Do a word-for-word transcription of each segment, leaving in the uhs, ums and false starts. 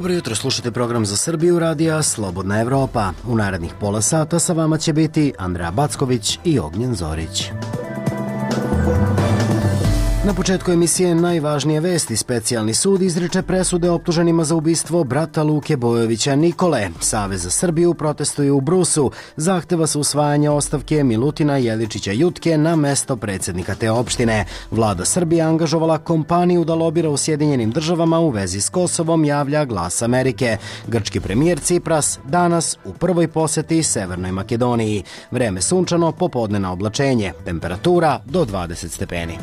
Dobro jutro, slušate program za Srbiju radija Slobodna Evropa. U narednih pola sata sa vama će biti Andreja Backović i Ognjen Zorić. Na početku emisije najvažnije vesti. Specijalni sud izriče presude optuženima za ubistvo brata Luke Bojovića Nikole. Savez za Srbiju protestuje u Brusu. Zahteva se usvajanje ostavke Milutina Jeličića Jutke na mesto predsjednika te opštine. Vlada Srbije angažovala kompaniju da lobira u Sjedinjenim državama u vezi s Kosovom, javlja Glas Amerike. Grčki premijer Cipras danas u prvoj poseti Severnoj Makedoniji. Vreme sunčano, popodnevno oblačenje. Temperatura do dvadeset stepeni.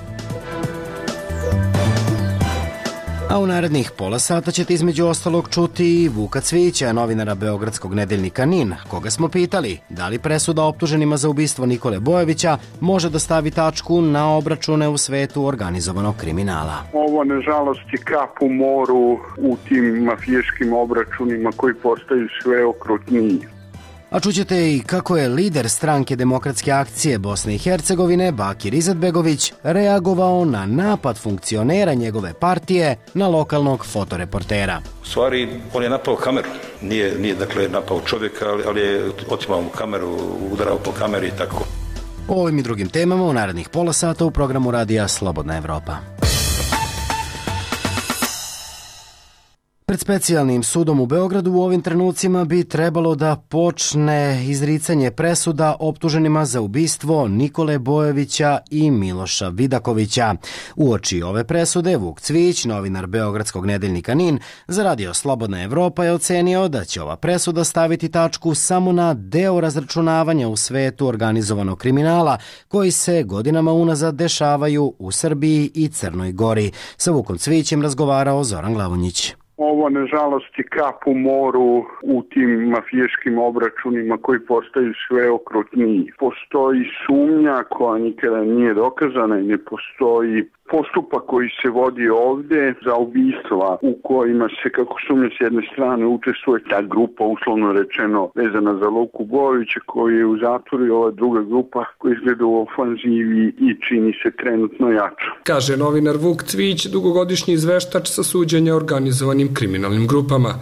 A u narednih pola sata ćete između ostalog čuti i Vuka Cvijića, novinara beogradskog nedeljnika NIN, koga smo pitali da li presuda optuženima za ubistvo Nikole Bojovića može da stavi tačku na obračune u svetu organizovanog kriminala. Ovo, nažalost, je kap u moru u tim mafijaškim obračunima koji postaju sve okrutniji. A čućete i kako je lider stranke Demokratske akcije Bosne i Hercegovine, Bakir Izetbegović, reagovao na napad funkcionera njegove partije na lokalnog fotoreportera. U stvari, on je napao kameru. Nije, nije dakle, napao čovjeka, ali, ali je otimao mu kameru, udarao po kameri i tako. O ovim i drugim temama u narednih pola sata u programu radija Slobodna Evropa. Pred specijalnim sudom u Beogradu u ovim trenucima bi trebalo da počne izricanje presuda optuženima za ubistvo Nikole Bojovića i Miloša Vidakovića. Uoči ove presude, Vuk Cvijić, novinar beogradskog nedeljnika NIN, za radio Slobodna Evropa je ocenio da će ova presuda staviti tačku samo na deo razračunavanja u svetu organizovanog kriminala koji se godinama unazad dešavaju u Srbiji i Crnoj Gori. Sa Vukom Cvijićem razgovarao Zoran Glavonjić. Ovo, nažalost, je kap u moru u tim mafijaškim obračunima koji postaju sve okrutniji. Postoji sumnja koja nikada nije dokazana i ne postoji postupak koji se vodi ovdje za ubistva u kojima se, kako sumnja s jedne strane, učestvuje ta grupa, uslovno rečeno, vezana za Luku Bojovića koji je u zatvoru i ova druga grupa koja izgleda u ofanzivi i čini se trenutno jača. Kaže novinar Vuk Cvijić, dugogodišnji izveštač sa suđenja organizovanim kriminalnim grupama.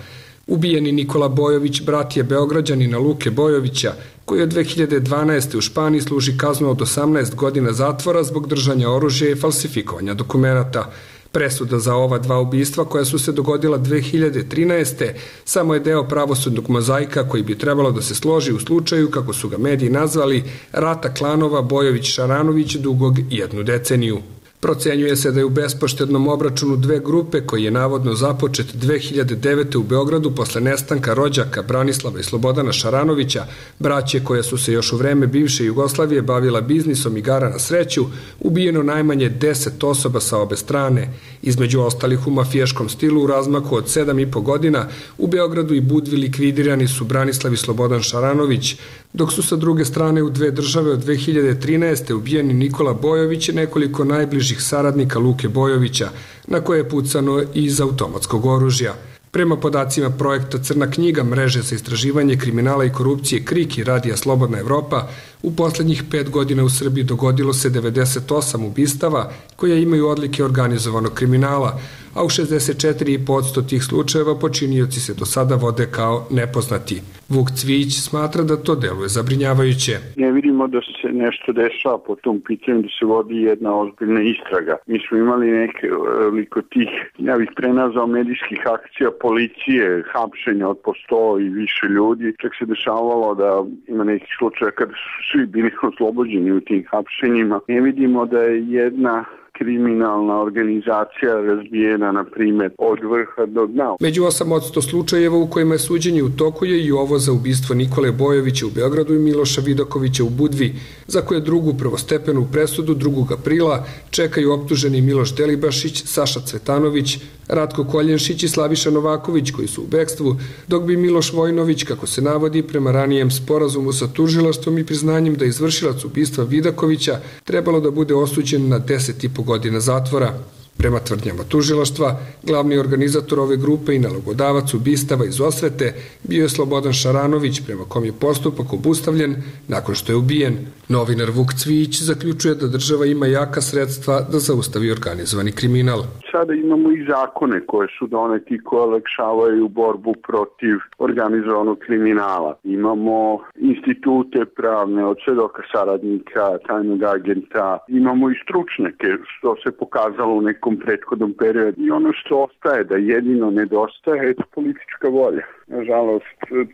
Ubijeni Nikola Bojović brat je Beograđanina Luke Bojovića, koji od dve hiljade dvanaeste. u Španiji služi kaznu od osamnaest godina zatvora zbog držanja oružja i falsifikovanja dokumenata. Presuda za ova dva ubistva koja su se dogodila dve hiljade trinaeste. samo je deo pravosudnog mozaika koji bi trebalo da se složi u slučaju, kako su ga mediji nazvali, rata klanova Bojović-Šaranović dugog jednu deceniju. Procenjuje se da je u bespoštednom obračunu dve grupe koji je navodno započet dve hiljade devete. u Beogradu posle nestanka rođaka Branislava i Slobodana Šaranovića, braće koja su se još u vreme bivše Jugoslavije bavila biznisom igara na sreću, ubijeno najmanje deset osoba sa obe strane. Između ostalih u mafijaškom stilu u razmaku od sedam i po godina u Beogradu i Budvi likvidirani su Branislav i Slobodan Šaranović, dok su sa druge strane u dve države od dve hiljade trinaeste. ubijeni Nikola Bojović i nekoliko najbližih saradnika Luke Bojovića, na koje je pucano iz automatskog oružja. Prema podacima projekta Crna knjiga mreže za istraživanje kriminala i korupcije KRIK i radija Slobodna Evropa, u poslednjih pet godina u Srbiji dogodilo se devedeset osam ubistava koje imaju odlike organizovanog kriminala, a u šezdeset četiri posto tih slučajeva počinioci se do sada vode kao nepoznati. Vuk Cvijić smatra da to deluje zabrinjavajuće. Ne vidimo da se nešto dešava po tom pitanju, da se vodi jedna ozbiljna istraga. Mi smo imali nekoliko tih, ja bih prenazao medijskih akcija policije, hapšenja od po sto i više ljudi. Čak se dešavalo da ima nekih slučaja kada su svi bili oslobođeni u tim hapšenjima. Ne vidimo da je jedna kriminalna organizacija razbijena, na primjer, od vrha do dna. Među osam od sto slučajeva u kojima je suđenje u toku je i ovo za ubistvo Nikole Bojovića u Beogradu i Miloša Vidakovića u Budvi, za koje drugu prvostepenu presudu drugog aprila čekaju optuženi Miloš Delibašić, Saša Cvetanović, Ratko Koljenšić i Slaviša Novaković koji su u bekstvu, dok bi Miloš Vojnović, kako se navodi, prema ranijem sporazumu sa tužilaštvom i priznanjem da je izvršilac ubistva Vidakovića trebalo da bude osuđen na deset i po godina zatvora. Prema tvrdnjama tužilaštva, glavni organizator ove grupe i nalogodavac ubistava iz osvete bio je Slobodan Šaranović, prema kom je postupak obustavljen nakon što je ubijen. Novinar Vuk Cvijić zaključuje da država ima jaka sredstva da zaustavi organizovani kriminal. Sada imamo i zakone koje su doneti koje olakšavaju borbu protiv organizovanog kriminala. Imamo institute pravne od svedoka saradnika, tajnog agenta, imamo i stručnjake što se pokazalo u nekom prethodnom periodu. I ono što ostaje da jedino nedostaje je politička volja. Nažalost,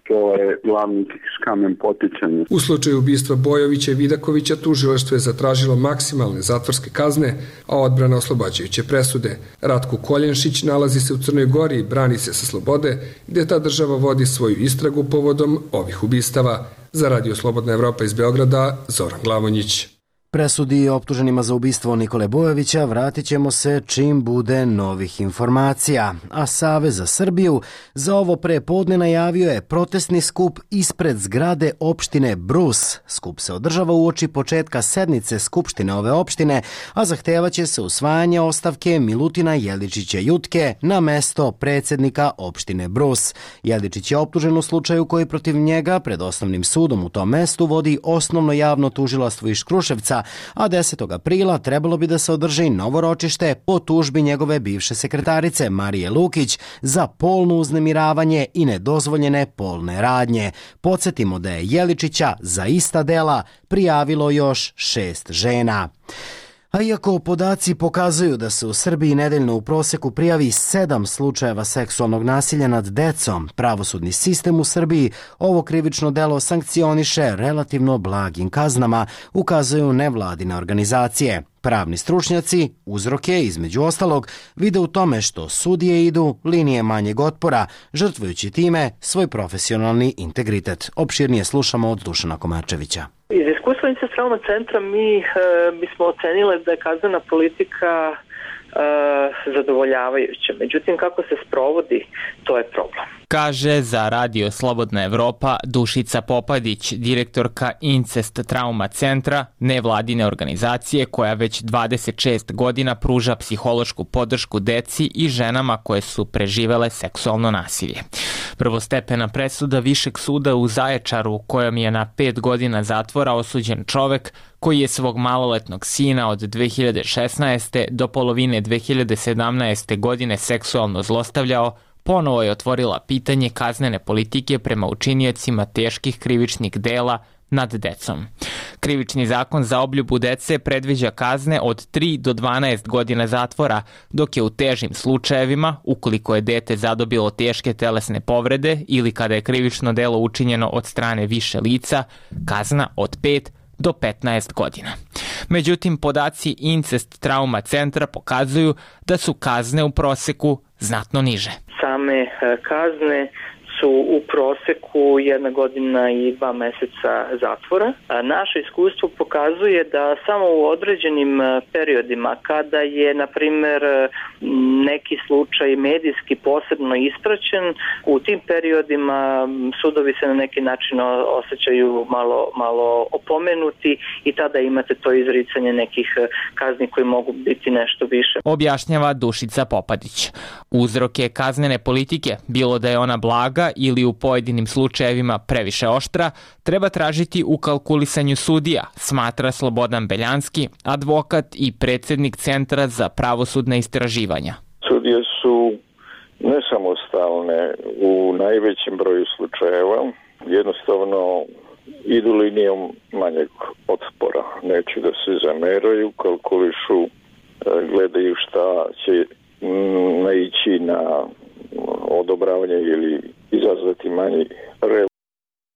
to je glavni kamen poticanja. U slučaju ubistva Bojovića i Vidakovića tužilaštvo je zatražilo maksimalne zatvorske kazne, a odbrana oslobađajuće presude. Ratko Koljenšić nalazi se u Crnoj Gori i brani se sa slobode, gde ta država vodi svoju istragu povodom ovih ubistava. Za Radio Slobodna Evropa iz Beograda, Zoran Glavonjić. Presudi optuženima za ubistvo Nikole Bojovića vratit ćemo se čim bude novih informacija, a Savez za Srbiju za ovo prepodne najavio je protestni skup ispred zgrade opštine Brus. Skup se održava uoči početka sednice Skupštine ove opštine, a zahtevaće se usvajanje ostavke Milutina Jeličića Jutke na mesto predsjednika opštine Brus. Jeličić je optužen u slučaju koji protiv njega pred osnovnim sudom u tom mestu vodi osnovno javno tužilaštvo iz Kruševca, a desetog aprila trebalo bi da se održi novo ročište po tužbi njegove bivše sekretarice Marije Lukić za polno uznemiravanje i nedozvoljene polne radnje. Podsjetimo da je Jeličića za ista dela prijavilo još šest žena. A iako podaci pokazuju da se u Srbiji nedeljno u proseku prijavi sedam slučajeva seksualnog nasilja nad decom, pravosudni sistem u Srbiji ovo krivično delo sankcioniše relativno blagim kaznama, ukazuju nevladine organizacije. Pravni stručnjaci uzroke, između ostalog, vide u tome što sudije idu linije manjeg otpora, žrtvujući time svoj profesionalni integritet. Opširnije slušamo od Dušana Komarčevića. Iz iskustva Incest Trauma centra mi e, bismo ocenile da je kaznena politika e, zadovoljavajuća. Međutim, kako se sprovodi, to je problem. Kaže za Radio Slobodna Evropa Dušica Popadić, direktorka Incest Trauma centra, nevladine organizacije koja već dvadeset šest godina pruža psihološku podršku deci i ženama koje su preživele seksualno nasilje. Prvostepena presuda Višeg suda u Zaječaru, kojom je na pet godina zatvora osuđen čovek koji je svog maloletnog sina od dve hiljade šesnaeste. do polovine dve hiljade sedamnaeste. godine seksualno zlostavljao, ponovo je otvorila pitanje kaznene politike prema učiniocima teških krivičnih dela nad decom. Krivični zakon za obljubu dece predviđa kazne od tri do dvanaest godina zatvora, dok je u težim slučajevima, ukoliko je dete zadobilo teške telesne povrede ili kada je krivično delo učinjeno od strane više lica, kazna od pet do petnaest godina. Međutim, podaci Incest Trauma centra pokazuju da su kazne u proseku znatno niže. Same kazne su u proseku jedna godina i dva meseca zatvora. Naše iskustvo pokazuje da samo u određenim periodima, kada je, na primjer, neki slučaj medijski posebno ispraćen, u tim periodima sudovi se na neki način osjećaju malo, malo opomenuti i tada imate to izricanje nekih kazni koji mogu biti nešto više. Objašnjava Dušica Popadić. Uzroke kaznene politike, bilo da je ona blaga ili u pojedinim slučajevima previše oštra, treba tražiti u kalkulisanju sudija, smatra Slobodan Beljanski, advokat i predsjednik Centra za pravosudne istraživanja. Sudije su nesamostalne u najvećem broju slučajeva, jednostavno idu linijom manjeg otpora. Neće da se zameraju, kalkulišu, gledaju šta će naići na odobravanje ili izazvati manji rev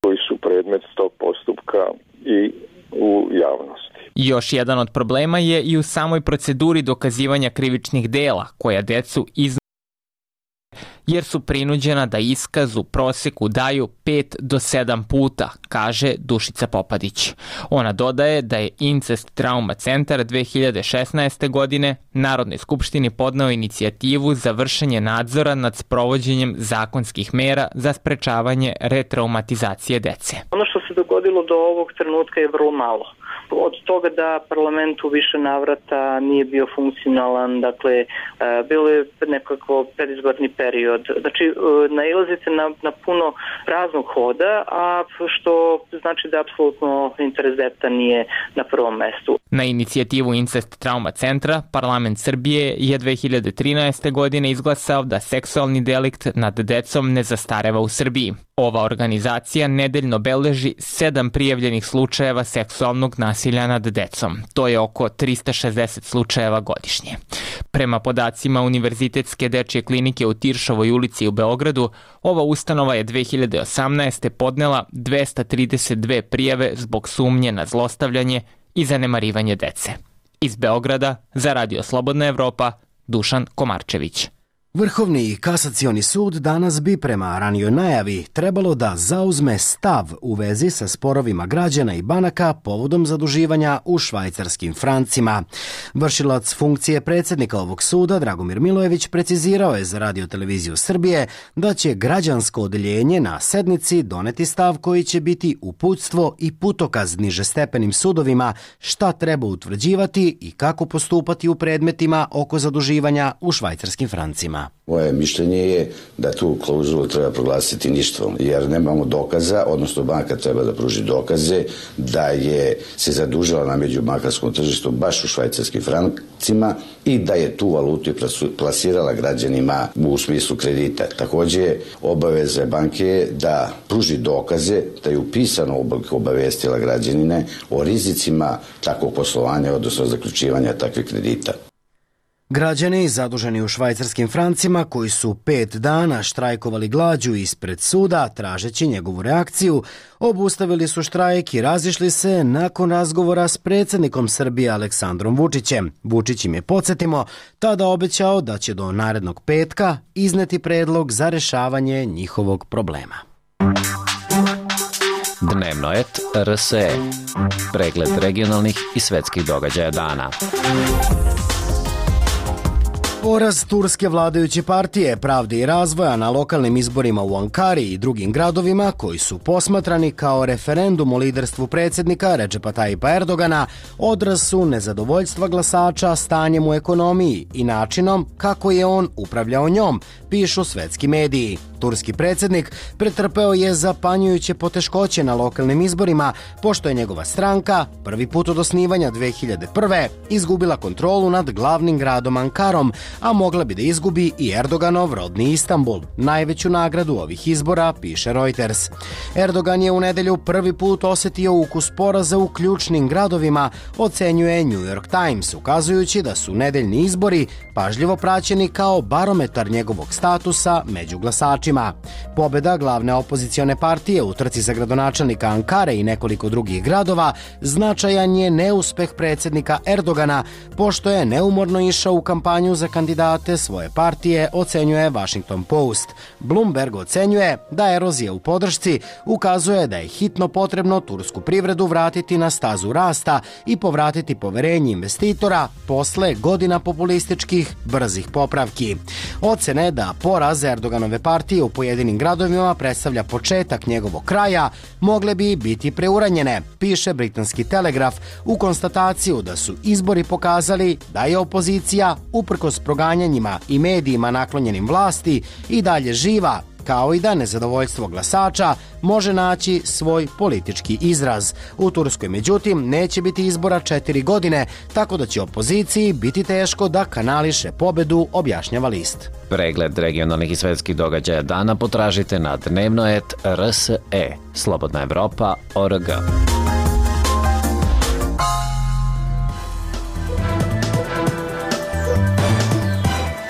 koji su predmet tog postupka i u javnosti. Još jedan od problema je i u samoj proceduri dokazivanja krivičnih dela, koja decu iznose jer su prinuđena da iskaz u proseku daju pet do sedam puta, kaže Dušica Popadić. Ona dodaje da je Incest Trauma centar dve hiljade šesnaeste. godine Narodnoj skupštini podneo inicijativu za vršenje nadzora nad sprovođenjem zakonskih mera za sprečavanje retraumatizacije dece. Ono što se dogodilo do ovog trenutka je vrlo malo. od toga da parlament u više navrata nije bio funkcionalan, dakle bilo je nekako predizborni period. Znači nailazite na, na puno praznog hoda, a što znači da apsolutno interes deteta nije na prvom mestu. Na inicijativu Incest Trauma Centra, parlament Srbije je dve hiljade trinaeste. godine izglasao da seksualni delikt nad decom ne zastareva u Srbiji. Ova organizacija nedeljno beleži sedam prijavljenih slučajeva seksualnog nasilja nad decom. To je oko trista šezdeset slučajeva godišnje. Prema podacima Univerzitetske dečje klinike u Tiršovoj ulici u Beogradu, ova ustanova je dve hiljade osamnaeste. podnela dvesta trideset dve prijave zbog sumnje na zlostavljanje i zanemarivanje dece. Iz Beograda, za Radio Slobodna Evropa, Dušan Komarčević. Vrhovni kasacioni sud danas bi prema ranijoj najavi trebalo da zauzme stav u vezi sa sporovima građana i banaka povodom zaduživanja u švajcarskim francima. Vršilac funkcije predsjednika ovog suda, Dragomir Milojević, precizirao je za Radio-televiziju Srbije da će građansko odeljenje na sednici doneti stav koji će biti uputstvo i putokaz nižestepenim sudovima šta treba utvrđivati i kako postupati u predmetima oko zaduživanja u švajcarskim francima. Moje mišljenje je da tu klauzulu treba proglasiti ništvom, jer nemamo dokaza, odnosno banka treba da pruži dokaze da je se zadužila na međubankarskom tržištu baš u švajcarskim francima i da je tu valutu plasirala građanima u smislu kredita. Takođe, obaveza banke je da pruži dokaze, da je upisano obavestila građanine o rizicima takvog poslovanja, odnosno zaključivanja takvih kredita. Građani zaduženi u švajcarskim francima koji su pet dana štrajkovali glađu ispred suda tražeći njegovu reakciju, obustavili su štrajk i razišli se nakon razgovora s predsjednikom Srbije Aleksandrom Vučićem. Vučić im je, podsjetimo, tada obećao da će do narednog petka izneti predlog za rešavanje njihovog problema. Dnevno et R S E. Pregled regionalnih i svetskih događaja dana. Poraz turske vladajuće partije Pravde i razvoja na lokalnim izborima u Ankari i drugim gradovima koji su posmatrani kao referendum o liderstvu predsjednika Redžepa Tajipa Erdogana odraz su nezadovoljstva glasača stanjem u ekonomiji i načinom kako je on upravljao njom, pišu svetski mediji. Turski predsjednik pretrpeo je zapanjujuće poteškoće na lokalnim izborima, pošto je njegova stranka prvi put od osnivanja dve hiljade prve. izgubila kontrolu nad glavnim gradom Ankarom, a mogla bi da izgubi i Erdoganov rodni Istanbul, najveću nagradu ovih izbora, piše Reuters. Erdogan je u nedelju prvi put osetio ukus poraza u ključnim gradovima, ocenjuje New York Times, ukazujući da su nedeljni izbori pažljivo praćeni kao barometar njegovog statusa među glasačima. Pobeda glavne opozicione partije u trci za gradonačelnika Ankare i nekoliko drugih gradova značajan je neuspeh predsjednika Erdogana, pošto je neumorno išao u kampanju za kandidate svoje partije, ocenjuje Washington Post. Bloomberg ocenjuje da erozija u podršci ukazuje da je hitno potrebno tursku privredu vratiti na stazu rasta i povratiti poverenje investitora posle godina populističkih brzih popravki. Ocene da poraz Erdoganove partije u pojedinim gradovima predstavlja početak njegovog kraja mogle bi biti preuranjene, piše britanski Telegraf u konstataciju da su izbori pokazali da je opozicija, uprkos proganjanjima i medijima naklonjenim vlasti, i dalje živa, kao i da nezadovoljstvo glasača može naći svoj politički izraz. U Turskoj, međutim, neće biti izbora četiri godine, tako da će opoziciji biti teško da kanališe pobedu, objašnjava list. Pregled regionalnih i svetskih događaja dana potražite na dnevno et R S E. Slobodna Evropa, O R G.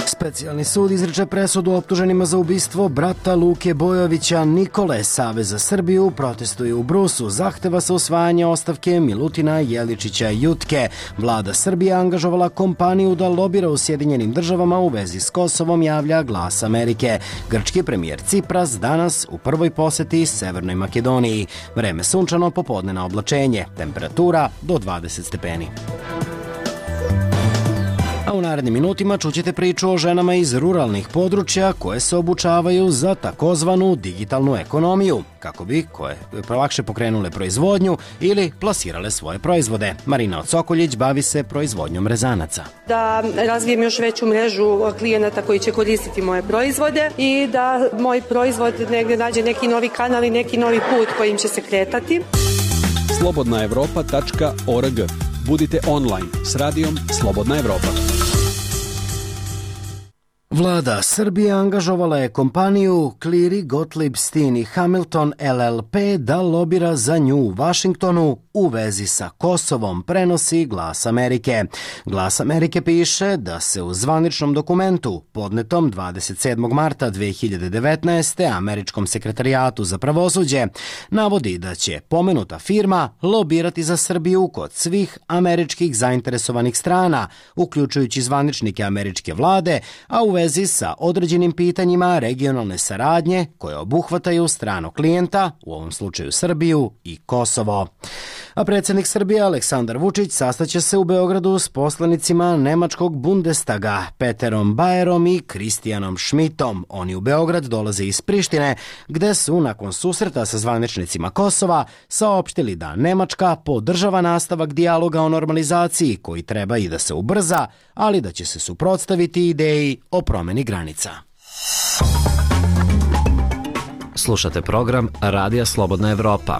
Specijalni sud izriče presudu optuženima za ubistvo brata Luke Bojovića Nikole. Savez za Srbiju protestuje u Brusu. Zahteva se usvajanje ostavke Milutina Jeličića Jutke. Vlada Srbije angažovala kompaniju da lobira u Sjedinjenim državama u vezi s Kosovom, javlja Glas Amerike. Grčki premijer Cipras danas u prvoj poseti Severnoj Makedoniji. Vreme sunčano, popodnevno oblačenje. Temperatura do dvadeset stepeni. A u narednim minutima čućete priču o ženama iz ruralnih područja koje se obučavaju za takozvanu digitalnu ekonomiju, kako bi koje lakše pokrenule proizvodnju ili plasirale svoje proizvode. Marina Odsokoljić bavi se proizvodnjom rezanaca. Da razvijem još veću mrežu klijenata koji će koristiti moje proizvode i da moj proizvod negdje nađe neki novi kanal i neki novi put kojim će se kretati. slobodna evropa tačka org. Budite online s radijom Slobodna Evropa. Vlada Srbije angažovala je kompaniju Cleary Gottlieb Steen i Hamilton L L P da lobira za nju u Vašingtonu u vezi sa Kosovom, prenosi Glas Amerike. Glas Amerike piše da se u zvaničnom dokumentu podnetom dvadeset sedmog marta dve hiljade devetnaeste. Američkom sekretarijatu za pravosuđe navodi da će pomenuta firma lobirati za Srbiju kod svih američkih zainteresovanih strana, uključujući zvaničnike američke vlade, a u vezi sa određenim pitanjima regionalne saradnje koje obuhvataju stranog klijenta, u ovom slučaju Srbiju i Kosovo. A predsjednik Srbije Aleksandar Vučić sastaće se u Beogradu s poslanicima nemačkog Bundestaga Peterom Bajerom i Kristijanom Šmitom. Oni u Beograd dolaze iz Prištine, gde su nakon susreta sa zvaničnicima Kosova saopštili da Nemačka podržava nastavak dijaloga o normalizaciji koji treba i da se ubrza, ali da će se suprotstaviti ideji o promjeni granica. Slušate program Radija Slobodna Evropa.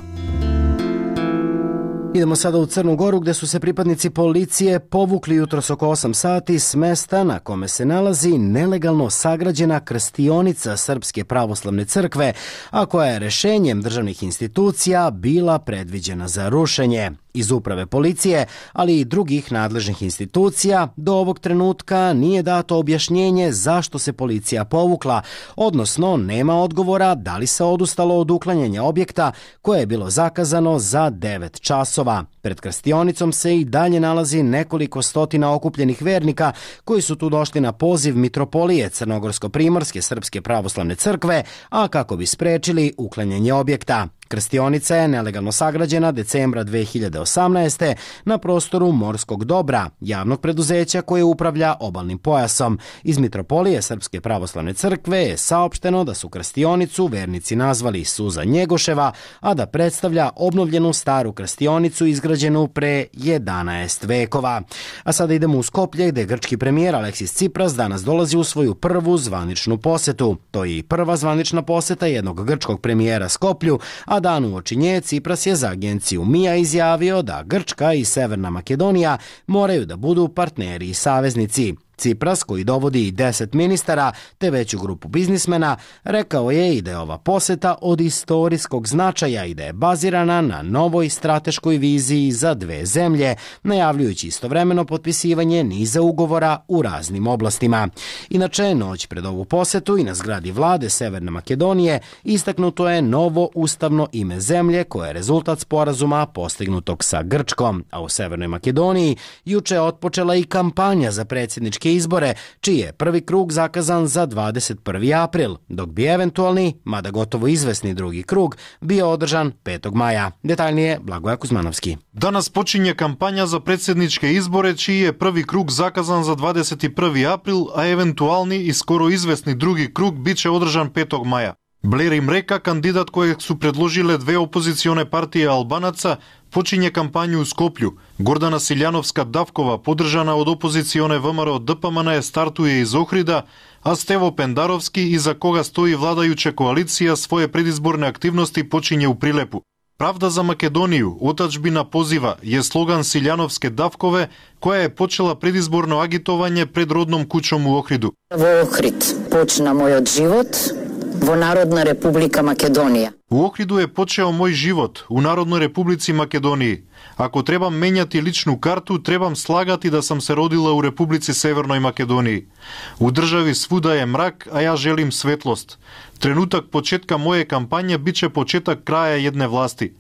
Idemo sada u Crnu Goru, gde su se pripadnici policije povukli jutros oko osam sati s mesta na kome se nalazi nelegalno sagrađena krstionica Srpske pravoslavne crkve, a koja je rešenjem državnih institucija bila predviđena za rušenje. Iz uprave policije, ali i drugih nadležnih institucija, do ovog trenutka nije dato objašnjenje zašto se policija povukla, odnosno nema odgovora da li se odustalo od uklanjanja objekta koje je bilo zakazano za devet časova. Pred krstionicom se i dalje nalazi nekoliko stotina okupljenih vernika koji su tu došli na poziv mitropolije Crnogorsko-primorske Srpske pravoslavne crkve, a kako bi sprečili uklanjanje objekta. Krstionica je nelegalno sagrađena decembra dve hiljade osamnaeste. na prostoru Morskog dobra, javnog preduzeća koje upravlja obalnim pojasom. Iz mitropolije Srpske pravoslavne crkve je saopšteno da su krstionicu vernici nazvali Suza Njegoševa, a da predstavlja obnovljenu staru krstionicu izgrađenu pre jedanaest vekova. A sada idemo u Skoplje, gde grčki premijer Aleksis Cipras danas dolazi u svoju prvu zvaničnu posetu. To je i prva zvanična poseta jednog grčkog premijera Skoplju, a dan uoči nje Cipras je za agenciju M I A izjavio da Grčka i Severna Makedonija moraju da budu partneri i saveznici. Cipras, koji dovodi i deset ministara te veću grupu biznismena, rekao je i da je ova poseta od istorijskog značaja i da je bazirana na novoj strateškoj viziji za dve zemlje, najavljujući istovremeno potpisivanje niza ugovora u raznim oblastima. Inače, noć pred ovu posetu i na zgradi vlade Severne Makedonije istaknuto je novo ustavno ime zemlje koje je rezultat sporazuma postignutog sa Grčkom, a u Severnoj Makedoniji juče je otpočela i kampanja za predsjednički izbore, čiji je prvi krug zakazan za dvadeset prvi april, dok bi eventualni, mada gotovo izvesni drugi krug, bio održan petog maja. Detaljnije Blagoja Kuzmanovski. Danas počinje kampanja za predsjedničke izbore, čiji je prvi krug zakazan za dvadeset prvi april, a eventualni i skoro izvesni drugi krug biće održan petog maja. Блер им река, кандидат којeg су предложиле две опозиционе партии албанаца, почиње кампању у Скопју. Гордана Силјановска-Давкова, подржана од опозиционе ВМРО Д П М Н, стартуе из Охрида, а Стево Пендаровски, иза кога стои владајуча коалиција, своје предизборне активности почиње у Прилепу. Правда за Македонију, отачбина позива, е слоган Силјановске-Давкове, која е почела предизборно агитовање пред родном куќом у Охриду. Во Охрид почна мојот живот, во Народна република Македонија. У Охриду е почео мој живот, у Народној републици Македонија. Ако требам менјати личну карту, требам слагати да сам се родила у Републици Северној Македонија. У држави свуда е мрак, а ја желим светлост. Тренутак почетка моје кампање биче почетак краја едне власти.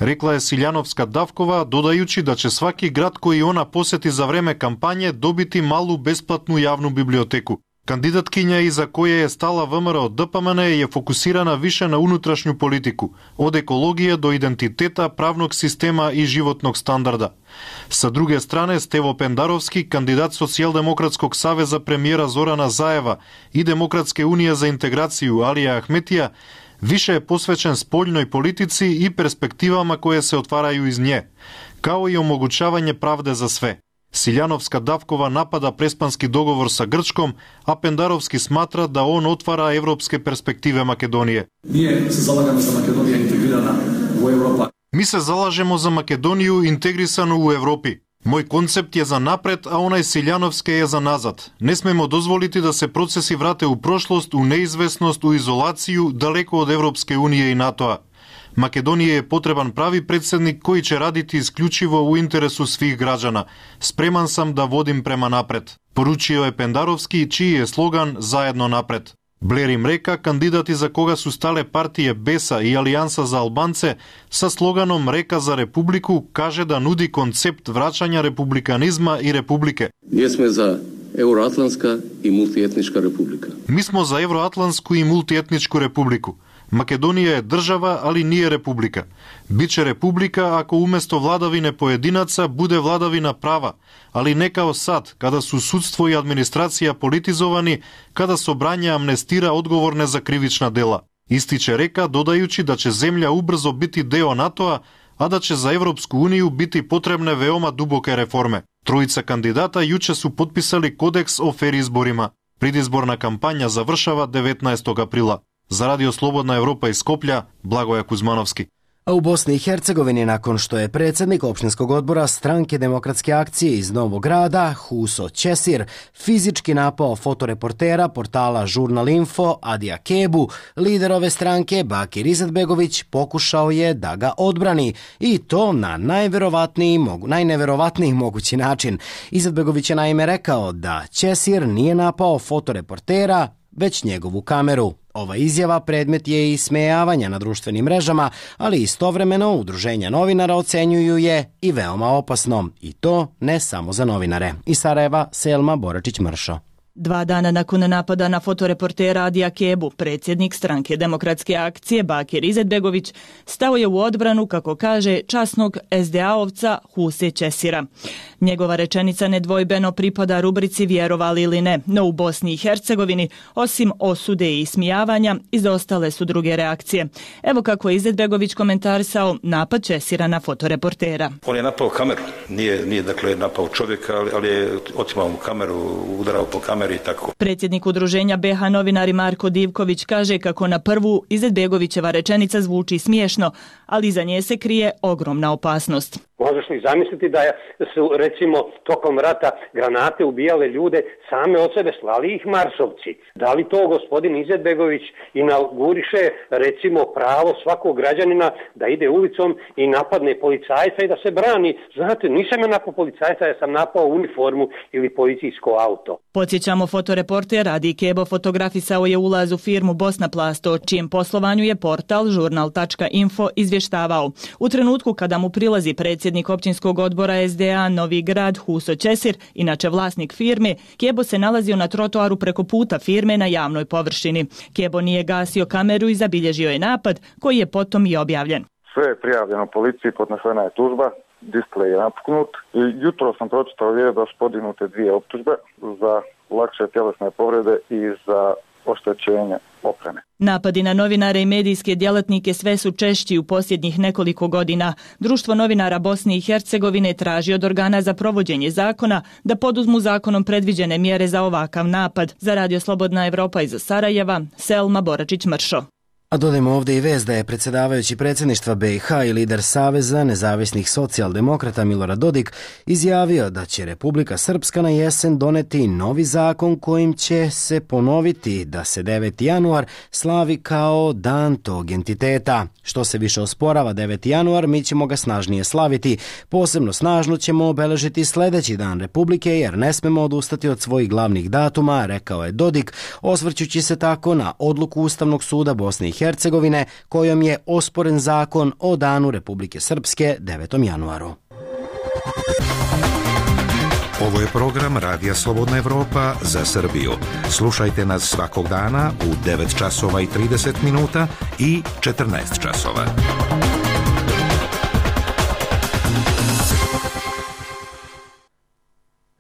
Рекла е Силјановска-Давкова, додајучи да ќе сваки град кој она посети за време кампање добити малу бесплатну јавну библиотеку. Кандидатkinja iza koje je stala V M R O D P M N je fokusirana više na unutrašnju politiku, od ekologije do identiteta, pravnog sistema i životnog standarda. Sa druge strane, Stevo Pendarovski, kandidat Socijaldemokratskog saveza premijera Zorana Zajeva i Demokratske unije za integraciju Alija Ahmetija, više je posvećen spoljnoj politici i perspektivama koje se otvaraju iz nje, kao i omogućavanje pravde za sve. Siljanovska Davkova napada prespanski dogovor sa Grčkom, a Pendarovski smatra da on otvara evropske perspektive Makedonije. Nije se zalagamo za Makedonija integrirana u Evropa. Mi se zalažemo za Makedoniju integrisanu u Evropi. Moj koncept je za napred, a onaj Siljanovske je za nazad. Ne smemo dozvoliti da se procesi vrate u prošlost, u neizvesnost, u izolaciju, daleko od Evropske unije i NATO-a. Makedonije je potreban pravi predsjednik koji će raditi isključivo u interesu svih građana. Spreman sam da vodim prema napred. Poručio je Pendarovski, čiji je slogan Zajedno napred. Blerim Mreka, kandidat iza koga su stale partije Besa i Alijansa za Albance, sa sloganom Reka za Republiku, kaže da nudi koncept vraćanja republikanizma i republike. Mi smo za Euroatlantska i multietnička republika. Mi smo za Euroatlantsku i multietničku republiku. Makedonija je država, ali nije republika. Biće republika ako umjesto vladavine pojedinaca bude vladavina prava, ali ne kao sad, kada su sudstvo i administracija politizovani, kada Sobranje amnestira odgovorne za krivična dela. Ističe Reka, dodajući da će zemlja ubrzo biti deo NATO-a, a da će za Evropsku uniju biti potrebne veoma duboke reforme. Trojica kandidata juče su potpisali kodeks o fer izborima. Predizborna kampanja završava devetnaestog aprila. Za Radio Slobodna Evropa iz Skoplja, Blagoja Kuzmanovski. A u Bosni i Hercegovini, nakon što je predsjednik opštinskog odbora Stranke demokratske akcije iz Novog Grada, Huso Ćesir, fizički napao fotoreportera portala Žurnal Info Adija Kebu, lider ove stranke Bakir Izetbegović pokušao je da ga odbrani i to na najverovatniji, mogu, najneverovatniji mogući način. Izetbegović je naime rekao da Ćesir nije napao fotoreportera, već njegovu kameru. Ova izjava predmet je i smejavanja na društvenim mrežama, ali istovremeno udruženja novinara ocenjuju je i veoma opasno. I to ne samo za novinare. Iz Sarajeva, Selma Boračić-Mršo. Dva dana nakon napada na fotoreportera Adija Kebu, predsjednik Stranke demokratske akcije Bakir Izetbegović stao je u odbranu, kako kaže, časnog es de a-ovca Huse Ćesira. Njegova rečenica nedvojbeno pripada rubrici vjerovali ili ne, no u Bosni i Hercegovini, osim osude i ismijavanja, izostale su druge reakcije. Evo kako je Izetbegović komentarisao napad Ćesira na fotoreportera. On je napao kameru, nije, nije dakle napao čovjeka, ali, ali je otimao mu kameru, udarao po kameru. Predsjednik udruženja be ha novinari Marko Divković kaže kako na prvu Izetbegovićeva rečenica zvuči smiješno, ali za nje se krije ogromna opasnost. Možeš li zamisliti da su, recimo, tokom rata granate ubijale ljude, same od sebe slali ih marsovci? Da li to gospodin Izetbegović inauguriše, recimo, pravo svakog građanina da ide ulicom i napadne policajca i da se brani? Znate, nisam ja napao policajca, ja sam napao uniformu ili policijsko auto. Podsjećamo, fotoreporter Adi Kebo fotografisao je ulaz u firmu Bosnaplast, o čijem poslovanju je portal žurnal tačka info izvještavao. U trenutku kada mu prilazi predsjednik općinskog odbora es de a Novi Grad Huso Ćesir, inače vlasnik firme, Kebo se nalazio na trotoaru preko puta firme na javnoj površini. Kebo nije gasio kameru i zabilježio je napad, koji je potom i objavljen. Sve je prijavljeno policiji, podnesena je tužba, displej je napuknut i jutro sam pročitao vijest da su podignuti dvije optužbe za lakše tjelesne povrede i za oštećenje opreme. Napadi na novinare i medijske djelatnike sve su češći u posljednjih nekoliko godina. Društvo novinara Bosne i Hercegovine traži od organa za provođenje zakona da poduzmu zakonom predviđene mjere za ovakav napad. Za Radio Slobodna Evropa iz Sarajeva, Selma Boračić-Mršo. A dodajmo ovdje i vest da je predsjedavajući predsjedništva be i ha i lider Saveza nezavisnih socijaldemokrata Milorad Dodik izjavio da će Republika Srpska na jesen doneti novi zakon kojim će se ponoviti da se deveti januar slavi kao dan tog entiteta. Što se više osporava deveti januar, mi ćemo ga snažnije slaviti. Posebno snažno ćemo obeležiti sljedeći dan Republike jer ne smemo odustati od svojih glavnih datuma, rekao je Dodik, osvrćući se tako na odluku Ustavnog suda Bosne i Hercegovine kojom je osporen zakon o danu Republike Srpske devetom januaru. Ovo je program Radija Slobodna Evropa za Srbiju. Slušajte nas svakog dana u devet časova i trideset minuta i četrnaest časova.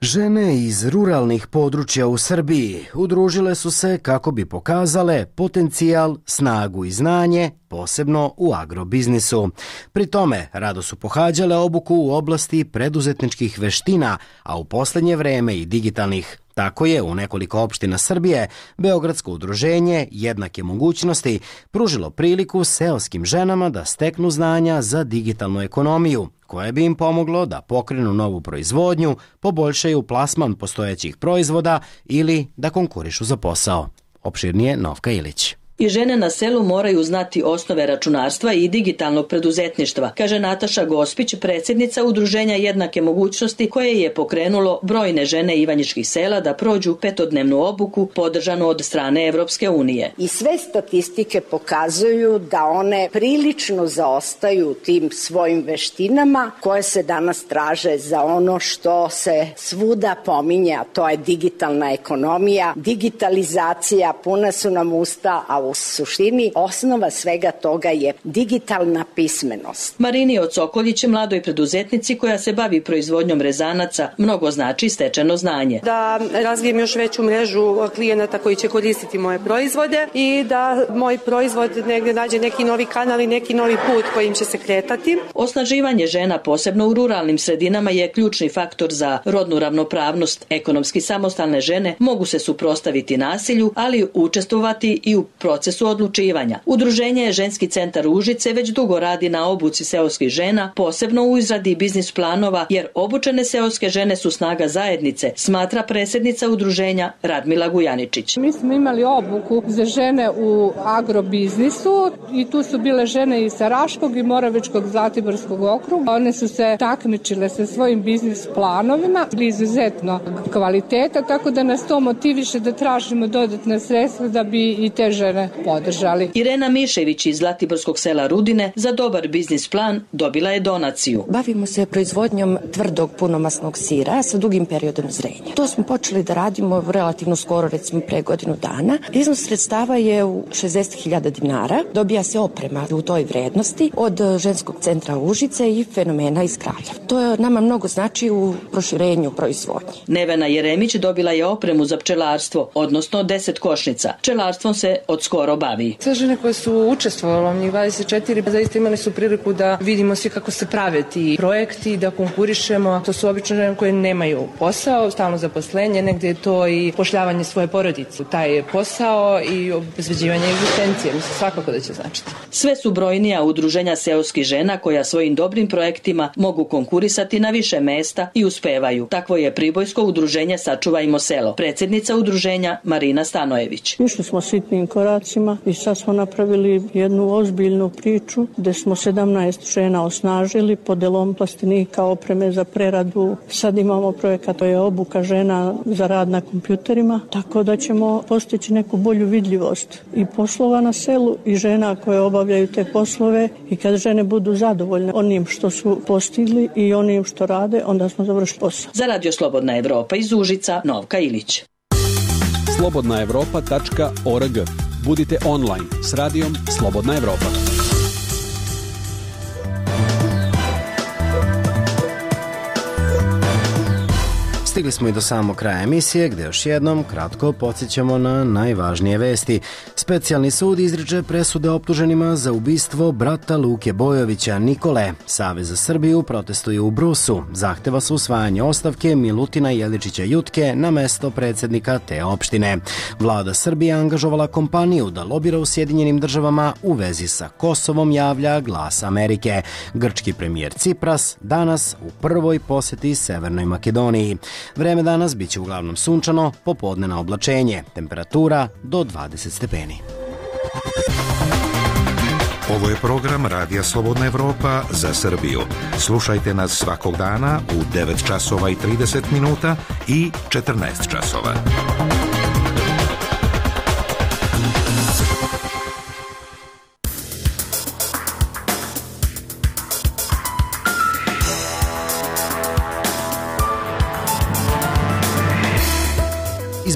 Žene iz ruralnih područja u Srbiji udružile su se kako bi pokazale potencijal, snagu i znanje, posebno u agrobiznisu. Pri tome rado su pohađale obuku u oblasti preduzetničkih veština, a u poslednje vreme i digitalnih. Tako je u nekoliko opština Srbije Beogradsko udruženje Jednake mogućnosti pružilo priliku seoskim ženama da steknu znanja za digitalnu ekonomiju, koje bi im pomoglo da pokrenu novu proizvodnju, poboljšaju plasman postojećih proizvoda ili da konkurišu za posao. Opširnije Novka Ilić. I žene na selu moraju znati osnove računarstva i digitalnog preduzetništva, kaže Nataša Gospić, predsjednica Udruženja Jednake mogućnosti, koje je pokrenulo brojne žene ivanjičkih sela da prođu petodnevnu obuku podržanu od strane Evropske unije. I sve statistike pokazuju da one prilično zaostaju tim svojim veštinama koje se danas traže za ono što se svuda pominje, a to je digitalna ekonomija, digitalizacija, puna su nam usta, a u suštini osnova svega toga je digitalna pismenost. Marini Ocokoljić, mladoj preduzetnici koja se bavi proizvodnjom rezanaca, mnogo znači stečeno znanje. Da razvijem još veću mrežu klijenata koji će koristiti moje proizvode i da moj proizvod negdje nađe neki novi kanal i neki novi put kojim će se kretati. Osnaživanje žena, posebno u ruralnim sredinama, je ključni faktor za rodnu ravnopravnost. Ekonomski samostalne žene mogu se suprotstaviti nasilju, ali učestvovati i u procesu odlučivanja. Udruženje Ženski centar Užice već dugo radi na obuci seoskih žena, posebno u izradi biznis planova, jer obučene seoske žene su snaga zajednice, smatra predsjednica udruženja Radmila Gujaničić. Mi smo imali obuku za žene u agrobiznisu i tu su bile žene iz Raškog i Moravičkog Zlatiborskog okruga. One su se takmičile sa svojim biznis planovima, izuzetno kvaliteta, tako da nas to motiviše da tražimo dodatna sredstva da bi i te žene podržali. Irena Mišević iz Zlatiborskog sela Rudine za dobar biznis plan dobila je donaciju. Bavimo se proizvodnjom tvrdog punomasnog sira sa dugim periodom zrenja. To smo počeli da radimo relativno skoro, recimo pre godinu dana. Iznos sredstava je u šezdeset hiljada dinara. Dobija se oprema u toj vrednosti od Ženskog centra Užice i Fenomena iz Kraljeva. To nama mnogo znači u proširenju proizvodnje. Nevena Jeremić dobila je opremu za pčelarstvo, odnosno deset košnica. Pčelarstvom se od skoro bavi. Sve žene koje su učestvovale, njih dvadeset četiri, zaista imali su priliku da vidimo svi kako se prave ti projekti, da konkurišemo. To su obično žene koje nemaju posao, stalno zaposlenje, negdje je to i pošljavanje svoje porodice. Taj posao i obezbeđivanje egzistencije, mislim, svakako da će značiti. Sve su brojnija udruženja seoskih žena koja svojim dobrim projektima mogu konkurisati na više mesta i uspevaju. Takvo je pribojsko udruženje Sačuvajmo selo. Predsjednica udruženja Marina Stanojević. Išli smo sitnim koracima i sad smo napravili jednu ozbiljnu priču gde smo sedamnaest žena osnažili podelom plastenika, opreme za preradu. Sad imamo projekat, to je obuka žena za rad na kompjuterima, tako da ćemo postići neku bolju vidljivost i poslova na selu i žena koje obavljaju te poslove, i kad žene budu zadovoljne onim što su postigli i onim što rade, onda smo završili posao. Za Radio Slobodna Evropa iz Užica, Novka Ilić. slobodna evropa tačka org. Budite online s radijom Slobodna Evropa. Stigli smo i do samog kraja emisije, gde još jednom kratko podsjećamo na najvažnije vesti. Specijalni sud izriče presude optuženima za ubistvo brata Luke Bojovića Nikole. Savez za Srbiju protestuje u Brusu. Zahteva se usvajanje ostavke Milutina Jeličića Jutke na mesto predsjednika te opštine. Vlada Srbije angažovala kompaniju da lobira u Sjedinjenim državama u vezi sa Kosovom, javlja Glas Amerike. Grčki premijer Cipras danas u prvoj poseti Severnoj Makedoniji. Vreme danas biće uglavnom sunčano, popodne na oblačenje, temperatura do dvadeset stepeni. Ovo je program Radija Slobodna Evropa za Srbiju. Slušajte nas svakog dana u devet časova i trideset minuta i četrnaest časova.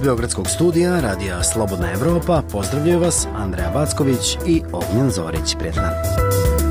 Beogradskog studija Radija Slobodna Evropa pozdravljaju vas Andreja Backović i Ognjen Zorić. Prijetan dan.